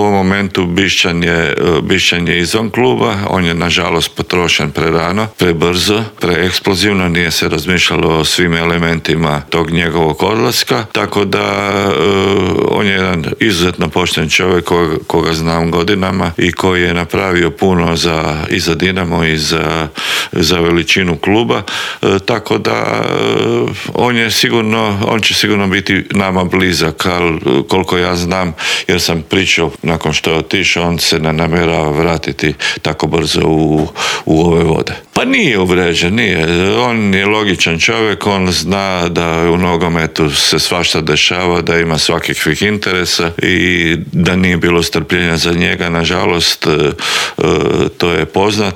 ovom momentu Bišćan je izvan kluba, on je nažalost potrošen prerano, prebrzo, preeksplozivno, nije se razmišljalo o svim elementima tog njegovog odlaska, tako da on je jedan izuzetno pošten čovjek koga znam godinama i koji je napravio puno i za Dinamo i za veličinu kluba, tako da on će sigurno biti nama blizak, ali koliko ja znam, jer sam pričao nakon što je otišao, on se ne namjerava vratiti tako brzo u ove vode. Pa nije uvređen, nije. On je logičan čovjek, on zna da u nogometu se svašta dešava, da ima svakakvih interesa i da nije bilo strpljenja za njega, nažalost, to je poznato,